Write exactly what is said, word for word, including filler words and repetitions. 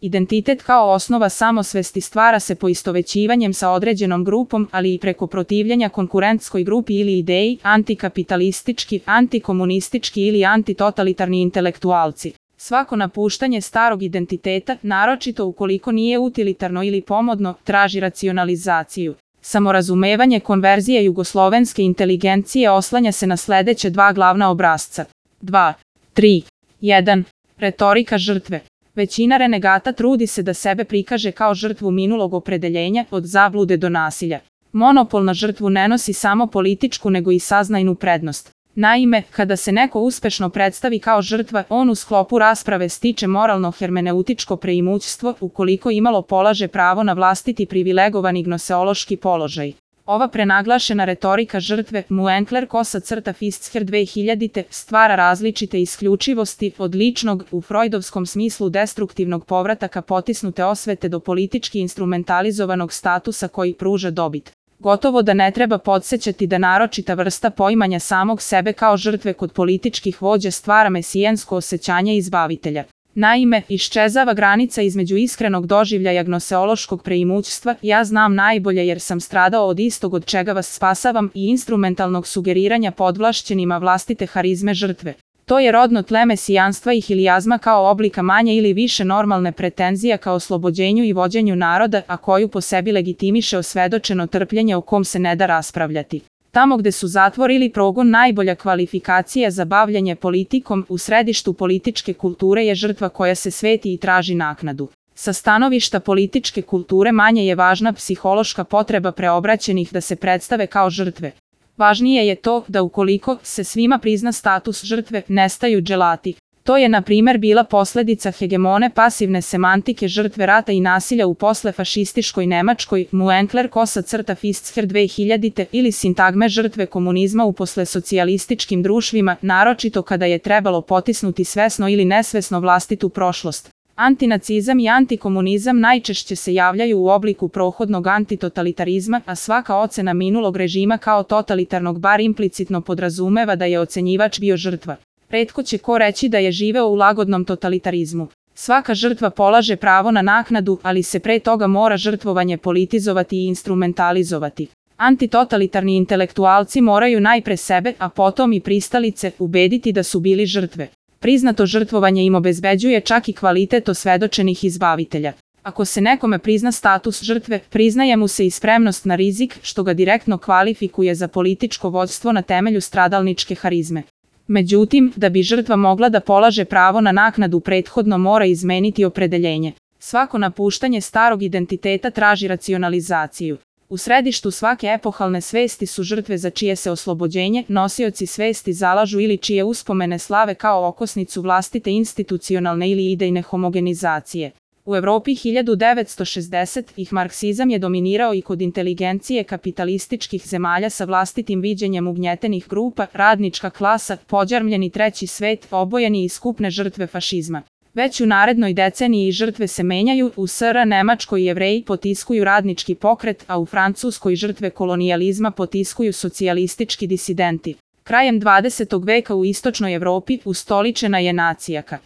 Identitet kao osnova samosvesti stvara se poistovećivanjem sa određenom grupom, ali i preko protivljenja konkurentskoj grupi ili ideji, antikapitalistički, antikomunistički ili antitotalitarni intelektualci. Svako napuštanje starog identiteta, naročito ukoliko nije utilitarno ili pomodno, traži racionalizaciju. Samorazumevanje konverzije jugoslovenske inteligencije oslanja se na sledeće dva glavna obrasca. dva, tri, jedan. Retorika žrtve. Većina renegata trudi se da sebe prikaže kao žrtvu minulog opredeljenja, od zablude do nasilja. Monopol na žrtvu ne nosi samo političku nego i saznajnu prednost. Naime, kada se neko uspešno predstavi kao žrtva, on u sklopu rasprave stiče moralno hermeneutičko preimućstvo, ukoliko imalo polaže pravo na vlastiti privilegovani gnoseološki položaj. Ova prenaglašena retorika žrtve, Muenkler kosa crta Fitzher dve hiljadite, stvara različite isključivosti od ličnog, u freudovskom smislu destruktivnog povrataka potisnute osvete do politički instrumentalizovanog statusa koji pruža dobit. Gotovo da ne treba podsjećati da naročita vrsta poimanja samog sebe kao žrtve kod političkih vođa stvara mesijansko osjećanje izbavitelja. Naime, iščezava granica između iskrenog doživljaja gnoseološkog preimućstva, ja znam najbolje jer sam stradao od istog od čega vas spasavam, i instrumentalnog sugeriranja podvlašćenima vlastite harizme žrtve. To je rodno tle mesijanstva i hilijazma kao oblika manje ili više normalne pretenzija ka oslobođenju i vođenju naroda, a koju po sebi legitimiše osvedočeno trpljenje o kom se ne da raspravljati. Tamo gde su zatvor ili progon najbolja kvalifikacija za bavljanje politikom, u središtu političke kulture je žrtva koja se sveti i traži naknadu. Sa stanovišta političke kulture manje je važna psihološka potreba preobraćenih da se predstave kao žrtve. Važnije je to da ukoliko se svima prizna status žrtve, nestaju dželati. To je na primer bila posledica hegemone pasivne semantike žrtve rata i nasilja u poslefašistiškoj Nemačkoj, Muenkler kosa crta Fitzher dve hiljadite, ili sintagme žrtve komunizma u poslesocijalističkim društvima, naročito kada je trebalo potisnuti svesno ili nesvesno vlastitu prošlost. Antinacizam i antikomunizam najčešće se javljaju u obliku prohodnog antitotalitarizma, a svaka ocena minulog režima kao totalitarnog bar implicitno podrazumeva da je ocenjivač bio žrtva. Retko će ko reći da je živeo u lagodnom totalitarizmu. Svaka žrtva polaže pravo na naknadu, ali se pre toga mora žrtvovanje politizovati i instrumentalizovati. Antitotalitarni intelektualci moraju najpre sebe, a potom i pristalice, ubediti da su bili žrtve. Priznato žrtvovanje im obezbeđuje čak i kvalitet osvedočenih izbavitelja. Ako se nekome prizna status žrtve, priznaje mu se i spremnost na rizik, što ga direktno kvalifikuje za političko vođstvo na temelju stradalničke harizme. Međutim, da bi žrtva mogla da polaže pravo na naknadu prethodno mora izmeniti opredeljenje. Svako napuštanje starog identiteta traži racionalizaciju. U središtu svake epohalne svesti su žrtve za čije se oslobođenje nosioci svesti zalažu ili čije uspomene slave kao okosnicu vlastite institucionalne ili idejne homogenizacije. U Evropi hiljadu devetsto šezdesetih marksizam je dominirao i kod inteligencije kapitalističkih zemalja sa vlastitim viđenjem ugnjetenih grupa, radnička klasa, pođarmljeni treći svet, obojeni i skupne žrtve fašizma. Već u narednoj deceniji žrtve se menjaju, u S R Nemačkoj Jevreji potiskuju radnički pokret, a u Francuskoj žrtve kolonijalizma potiskuju socijalistički disidenti. Krajem dvadesetog veka u istočnoj Evropi ustoličena je nacijaka.